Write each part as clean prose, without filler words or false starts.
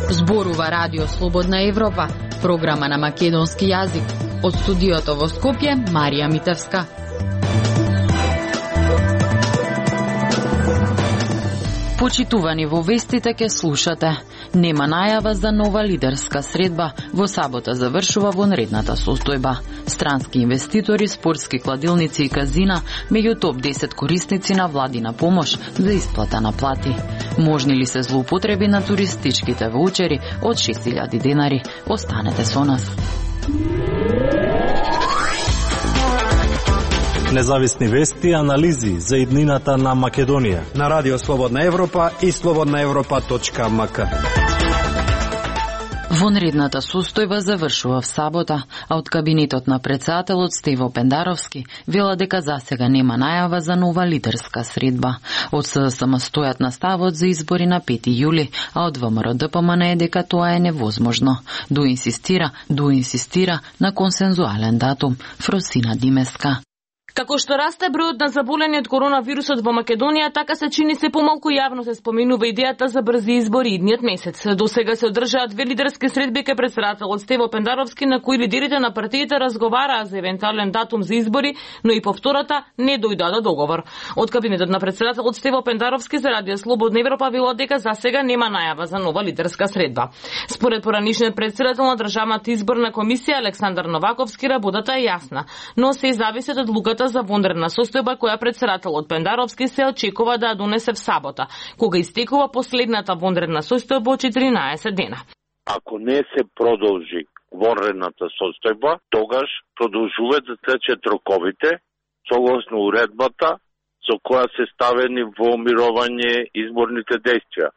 Зборува Радио Слободна Европа, програма на македонски јазик. Од студиото во Скопје, Марија Митевска. Почитувани во вестите ке слушате. Нема најава за нова лидерска средба. Во сабота завршува вонредната состојба. Странски инвеститори, спортски кладилници и казина меѓу топ 10 корисници на владина помош за исплата на плати. Можни ли се злоупотреби на туристичките воучери од 6000 денари? Останете со нас. Независни вести и анализи за иднината на Македонија на Радио Слободна Европа и slobodnaevropa.mk. Вонредната состојба завршува в сабота, а од кабинетот на претседателот Стево Пендаровски вела дека засега нема најава за нова лидерска средба. Од СДСМ стојат на ставот за избори на 5 јули, а од ВМРО-ДПМН е дека тоа е невозможно. Инсистира на консензуален датум. Фросина Димеска. Како што расте бројот на заболени од коронавирусот во Македонија, така се чини се помалку јавно се споминува идејата за брзи избори идниот месец. До сега се одржаат две лидерски средби кај претседателот Стево Пендаровски, на кои лидерите на партиите разговараа за евентуален датум за избори, но и по втората не дојдоа до договор. Од кабинетот на претседателот Стево Пендаровски за Радио Слободна Европа вело дека за сега нема најава за нова лидерска средба. Според поранишниот претседател на Државната изборна комисија Александар Новаковски, работата е јасна, но се зависи од одлуката за вонредна состојба која претседателот Пендаровски се очекува да ја донесе в сабота, кога истекува последната вонредна состојба од 14 дена. Ако не се продолжи вонредната состојба, тогаш продолжуваат да течат роковите согласно уредбата со која се ставени во мировање изборните дејствија.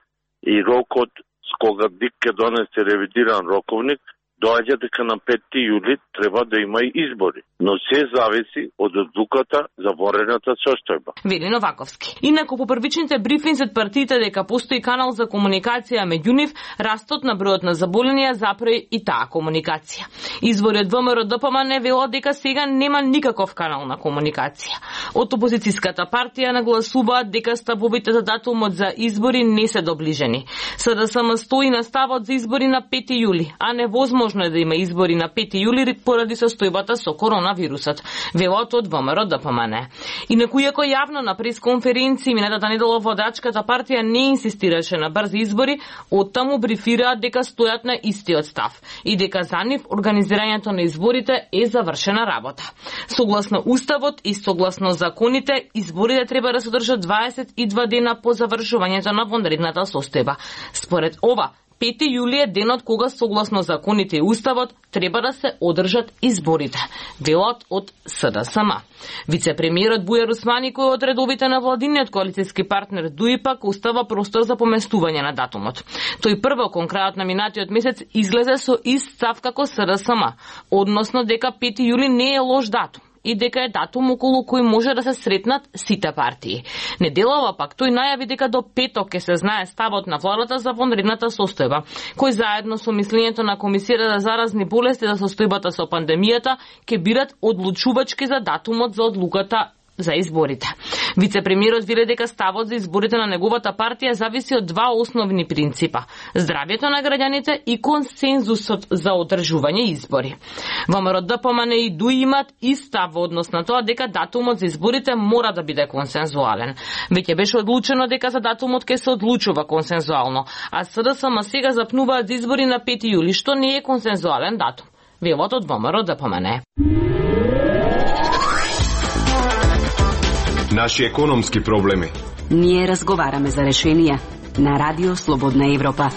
И рокот с кога ДИК ќе донесе ревидиран роковник доаѓа дека на 5 јули треба да има и избори, но се зависи од одлуката за вонредната состојба. Вели Новаковски. Инаку по првичните брифинзи од партиите дека постои канал за комуникација меѓу нив, растот на бројот на заболенија запре и таа комуникација. Извори од ВМРО-ДПМН вело дека сега нема никаков канал на комуникација. Од опозицијската партија нагласуваат дека ставовите за датумот за избори не се доближени. СДСМ стои на ставот за избори на 5 јули, а невозможно е да има избори на 5 јули поради состојбата со коронавирусот, велот од ВМРО-ДПМН. Инаку иако јавно на пресконференција минатата недела водачката партија не инсистираше на брзи избори, оттаму брифираат дека стојат на истиот став и дека за нив организирањето на изборите е завршена работа. Согласно уставот и согласно законите, изборите треба да се одржат 22 дена по завршувањето на вонредната состојба. Според ова, 5 јули е денот кога согласно законите и уставот треба да се одржат изборите, велот од СДСМ. Вице-премиерот Бујар Усмани, кој од редовите на владиниот коалицијски партнер ДУИПАК, устава простор за поместување на датумот. Тој прво кон крајот на минатиот месец излезе со ист став како СДСМ, односно дека 5 јули не е лош датум и дека е датум околу кој може да се сретнат сите партии. Неделава пак тој најави дека до петок ќе се знае ставот на владата за вонредната состојба, кој заедно со мислењето на Комисијата за заразни болести за состојбата со пандемијата ќе бират одлучувачки за датумот за одлуката за изборите. Вице-премиерот вели дека ставот за изборите на неговата партија зависи од два основни принципа: здравјето на граѓаните и консензусот за одржување избори. ВМРО-ДПМН и ДУИ имат ист став во однос на тоа дека датумот за изборите мора да биде консензуален. Веќе беше одлучено дека за датумот ќе се одлучува консензуално, а СДСМ сега запнуваат за избори на 5 јули, што не е консензуален датум. Велот од ВМРО-ДПМН. Наши економски проблеми. Ние разговараме за решенија на Радио Слободна Европа.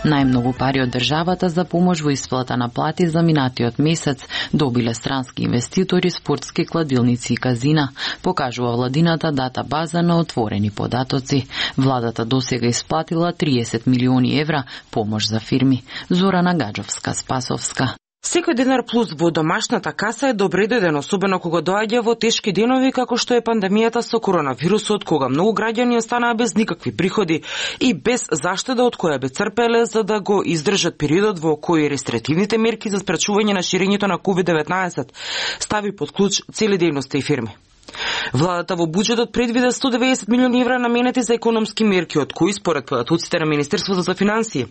Најмногу пари од државата за помош во исплата на плати за минатиот месец добиле странски инвеститори, спортски кладилници и казина, покажува владината дата база на отворени податоци. Владата досега исплатила 30 милиони евра помош за фирми. Зорана Гаджовска-Спасовска. Секој денар плюс во домашната каса е добредојден, особено кога доаѓа во тешки денови како што е пандемијата со коронавирусот, кога многу граѓани останаа без никакви приходи и без заштеда од која би црпеле за да го издржат периодот во кој рестриктивните мерки за спречување на ширењето на COVID-19 стави под клуч цели дејности и фирми. Владата во буџетот предвида 190 милиони евра наменети за економски мерки, од кои според податоците на Министерството за финансии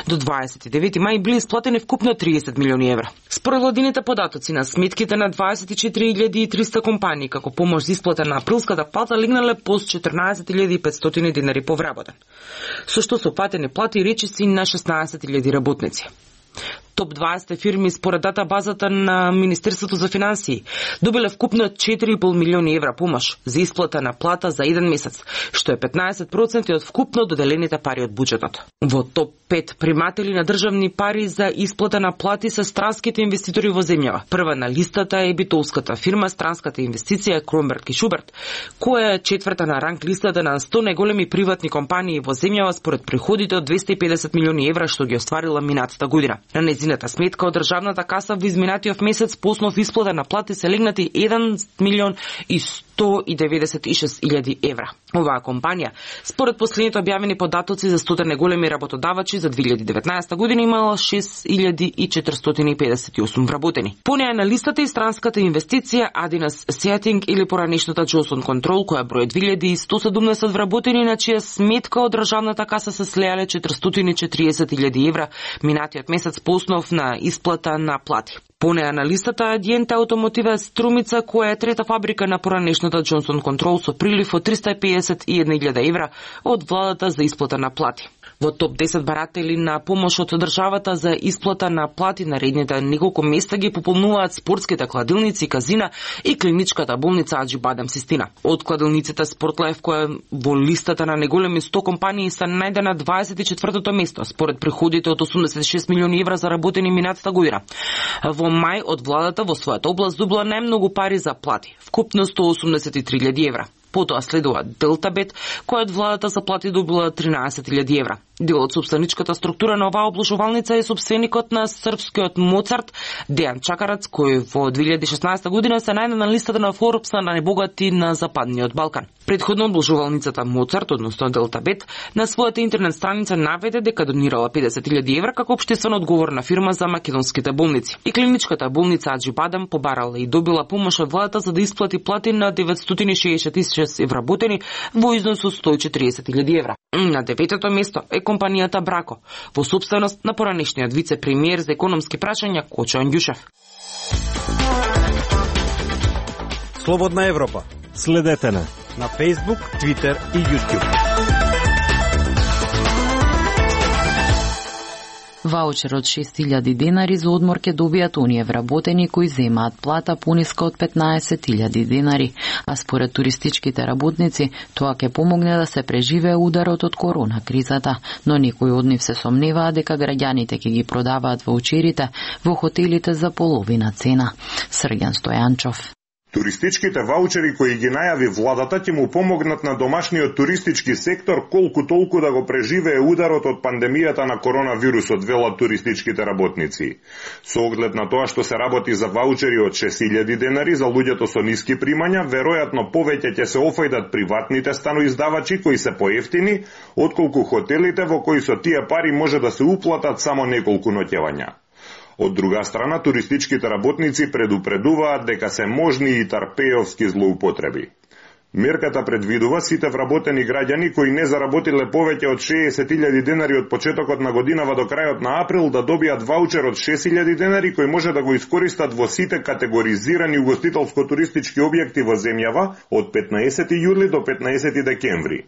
до 29 мај били исплатени вкупно 30 милиони евра. Според владините податоци на сметките на 24.300 компании како помош за исплата на априлската плата легнале по 14.500 денари по вработен, со што се платени плати речиси на 16.000 работници. Топ 20 фирми според дата базата на Министерството за финансии добиле вкупно 4,5 милиони евра помош за исплата на плата за еден месец, што е 15% од вкупно доделените пари од буџетот. Во топ 5 приматели на државни пари за исплата на плати се странските инвеститори во земјава. Прва на листата е битолската фирма Странската инвестиција Кромберг и Шуберт, која е четврта на ранг листата на 100 најголеми приватни компании во земјава според приходите од 250 милиони евра што ги остварила минатата година. На незината сметка од државната каса во изминатиот месец по основ исплата на плати се легнати 1 милион и 196.000 евра. Оваа компанија, според последните објавени податоци за 100 најголеми работодавачи за 2019 година, имала 6.458 вработени. По неја на листата и Странската инвестиција Адинас Сеатинг или поранешната Джонсон Контрол, која брои 2170 вработени, на чија сметка од државната каса се слеале 440.000 евра минатиот месец по основ на исплата на плати. По неја на листата Адиента Автомотива Струмица, која е трета фабрика на поранешната Джонсон Контрол со прилив од 351.000 евра од владата за исплата на плати. Во топ 10 баратели на помош од државата за исплата на плати наредните неколку места ги пополнуваат спортските кладилници, казина и клиничката болница Аџи Бадам Систина. Од кладилниците Спортлайф, која во листата на најголеми 100 компании се најде на 24-то место, според приходите од 86 милиони евра заработени минатата година. Во мај од владата во својата област добила најмногу пари за плати, вкупно 183.000 евра. Потоа следува Делтабет, која од владата за плати добила 13.000 евра. Дел од собственичката структура на оваа обложувалница е собственикот на српскиот Моцарт, Дејан Чакарац, кој во 2016 година се најде на листата на Форбс на најбогати на Западниот Балкан. Предходно обложувалницата Моцарт, односно Делтабет, на својата интернет страница наведе дека донирала 50.000 евра како општествено одговорна фирма за македонските болници. И клиничката болница Аџи Бадам побарала и добила помош од владата за да исплати плати на 960.000 вработени во износ од 140.000 евра. На 9-то место е компанијата Брако, во собственост на поранешниот вице-премиер за економски прашања Кочо Андјушев. Слободна Европа. Следете на Facebook, Twitter и YouTube. Ваучер од 6.000 денари за одмор ќе добијат оние вработени кои земаат плата пониска од 15.000 денари, а според туристичките работници тоа ќе помогне да се преживее ударот од корона кризата, но некои од нив се сомневаат дека граѓаните ќе ги продаваат ваучерите во хотелите за половина цена. Срѓан Стојанчов. Туристичките ваучери кои ги најави владата ќе му помогнат на домашниот туристички сектор колку толку да го преживее ударот од пандемијата на коронавирусот, велат туристичките работници. Со оглед на тоа што се работи за ваучери од 6.000 денари за луѓето со ниски примања, веројатно повеќе ќе се офајдат приватните станоиздавачи кои се поевтини, отколку хотелите во кои со тие пари може да се уплатат само неколку ноќевања. Од друга страна, туристичките работници предупредуваат дека се можни и тарпеовски злоупотреби. Мерката предвидува сите вработени граѓани кои не заработиле повеќе од 60.000 денари од почетокот на годинава до крајот на април да добијат ваучер од 6.000 денари кој може да го искористат во сите категоризирани угостителско-туристички објекти во земјава од 15 јули до 15 декември.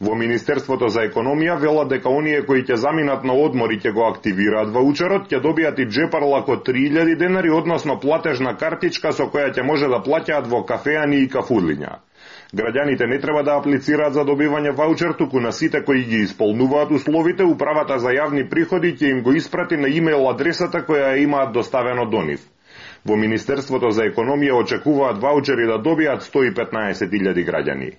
Во Министерството за економија велат дека оние кои ќе заминат на одмор и ќе го активираат ваучерот, ќе добијат и джепарлак од 3.000 денари, односно платежна картичка со која ќе може да плаќаат во кафеани и кафурлиња. Граѓаните не треба да аплицираат за добивање ваучер, туку на сите кои ги исполнуваат условите, Управата за јавни приходи ќе им го испрати на имейл адресата која имаат доставено до нив. Во Министерството за економија очекуваат ваучери да добијат 115.000 граѓани.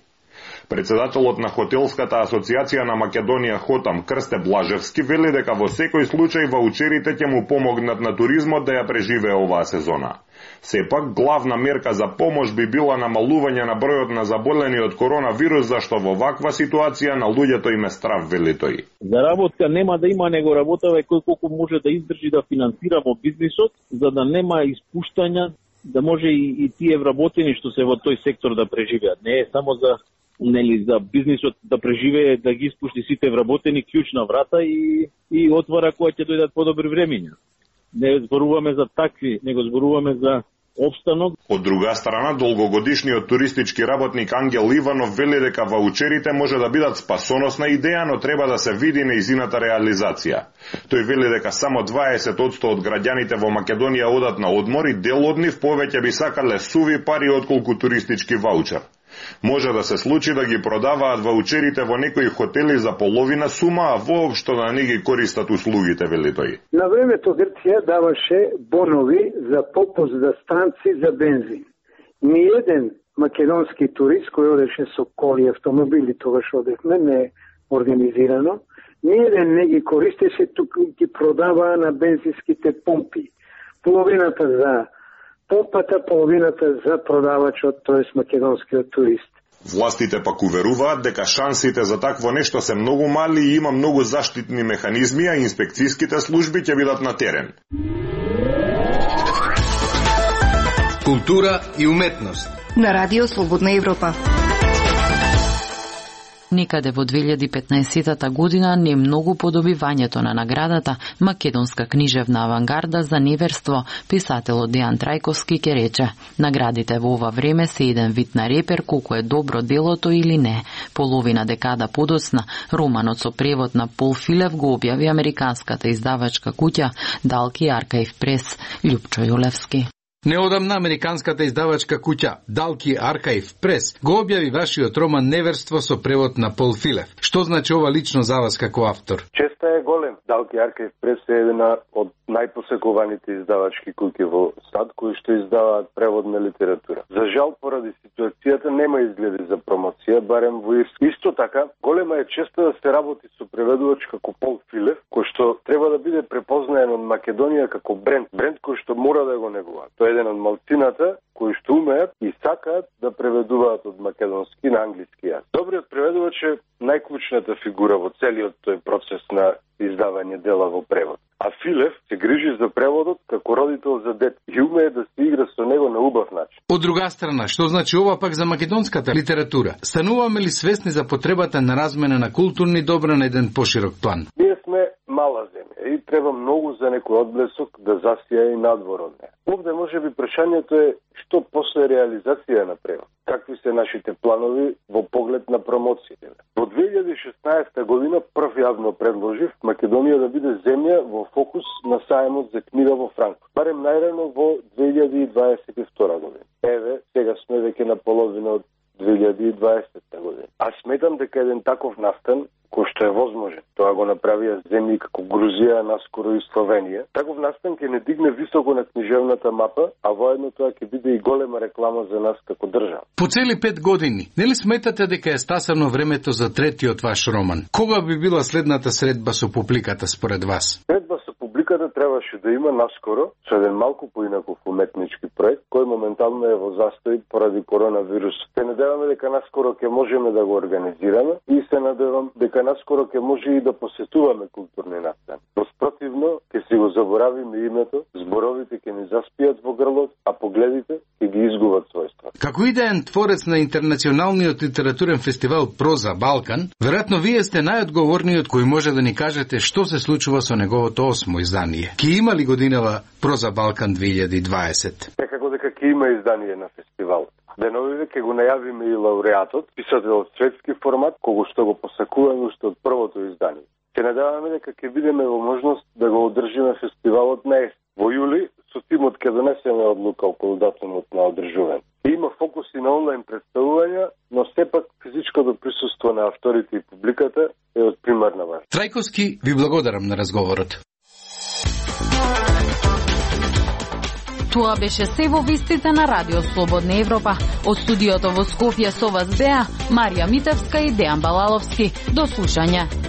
Председателот на Хотелската асоциација на Македонија Хотам Крсте Блажевски вели дека во секој случај ваучерите ќе му помогнат на туризмот да ја преживее оваа сезона. Сепак, главна мерка за помош би била намалување на бројот на заболени од коронавирус, зашто во ваква ситуација на луѓето им е страв, вели тој. За работка нема да има, него работава кој колку може да издржи да финансира во бизнисот, за да нема испуштања, да може и тие вработени што се во тој сектор да преживеат. Не е само за бизнисот да преживее, да ги испушти сите вработени клjučна врата и отвара кога ќе дојдат подобри времиња. Не зборуваме за такви, него зборуваме за обстанок. Од друга страна, долгогодишниот туристички работник Ангел Иванов вели дека ваучерите може да бидат спасоносна идеја, но треба да се види нејзината реализација. Тој вели дека само 20% од граѓаните во Македонија одат на одмор и дел од нив повеќе би сакале суви пари отколку туристички ваучер. Може да се случи да ги продаваат ваучерите во некои хотели за половина сума, а воопшто да не ги користат услугите, вели тој. На времето Грција даваше бонови за попуст за станци за бензин. Ниеден македонски турист кој одеше со коли автомобили, тогаш одевме, не организирано, ниеден не ги користеше, тук ги продаваа на бензинските помпи. Половината за помпата, половината за продавачот, тоест македонскиот турист. Властите пак уверуваат дека шансите за такво нешто се многу мали и има многу заштитни механизми, а инспекцијските служби ќе бидат на терен. Култура и уметност на Радио Слободна Европа. Некаде во 2015 година не многу по добивањето на наградата Македонска книжевна авангарда за неверство, писателот Дејан Трајковски ке рече: наградите во ова време се еден вид на репер колку е добро делото или не. Половина декада подоцна, романот со превод на Пол Филев го објави американската издавачка куќа Далки Аркаив Прес. Љупчо Јулевски. Неодамна американската издавачка куќа Далки Аркаив Прес го објави вашиот роман Неверство со превод на Пол Филев. Што значи ова лично за вас како автор? Честа е голем. Далки Аркаив Прес е една од најпосекуваните издавачки куќи во САД кои што издаваат преводна литература. За жал, поради ситуацијата нема изгледи за промоција, барем во Ирска. Исто така, голема е честа да се работи со преведувач како Пол Филев, кој што треба да биде препознаен од Македонија како бренд кој што мора да го негуваат. Тоа е еден од малцината кои што умеат и сакаат да преведуваат од македонски на англиски јазик. Добриот преведувач е најклучната фигура во целиот тој процес на издавање дела во превод. А Филев се грижи за преводот како родител за дете и умее да се игра со него на убав начин. Од друга страна, што значи ова пак за македонската литература? Стануваме ли свесни за потребата на размена на културни добра на еден поширок план? Ние сме мала земја и треба многу за некој одблесок да засија и надвор од неја. Овде може би прашањето е што после реализација на превод. Какви се нашите планови во поглед на промоциите? Во 2016 година прв јавно предложив Македонија да биде земја во фокус на саемот за книга во Франкфурт. Барем најрано во 2022 година. Еве, сега сме веќе на половина од 2020 година. А сметам дека еден таков настан кој што е возможен. Тоа го направија земји како Грузија, наскоро и Словенија. Таков настан ќе не дигне високо на книжевната мапа, а воедно тоа ќе биде и голема реклама за нас како држава. По цели 5 години, нели сметате дека е стасано времето за третиот ваш роман? Кога би била следната средба со публиката според вас? Средба со публиката требаше да има наскоро со еден малку поинаков уметнички проект, кој моментално е во застој поради коронавирус. Се надеваме дека наскоро ќе можеме да го организираме и се надевам дека наскоро ќе може и да посетуваме културни настани. Спротивно, ќе си го заборавиме името, зборовите ќе ни заспијат во грлот, а погледите ќе ги изгубат својства. Како идеен творец на интернационалниот литературен фестивал Проза Балкан, веројатно вие сте најодговорниот кој може да ни кажете што се случува со неговото 8-мо издание. Ки има ли годинава Проза Балкан 2020? Некако дека ќе има издание на фестивалот. Деновиве ќе го најавиме и лауреатот, писател од светски формат, кого што го посакуваме уште од првото издание. Се надеваме дека ќе бидеме во можност да го одржиме фестивалот на есен. Во јули со тимот ќе донесеме одлука околу датумот на одржување. Има фокус и на онлайн представувања, но сепак физичкото присуство на авторите и публиката е од примарна важност. Трајковски, ви благодарам на разговорот. Тоа беше се во вестите на Радио Слободна Европа. Од студиото во Скопје со вас беа Марија Митевска и Дејан Балаловски. До слушање.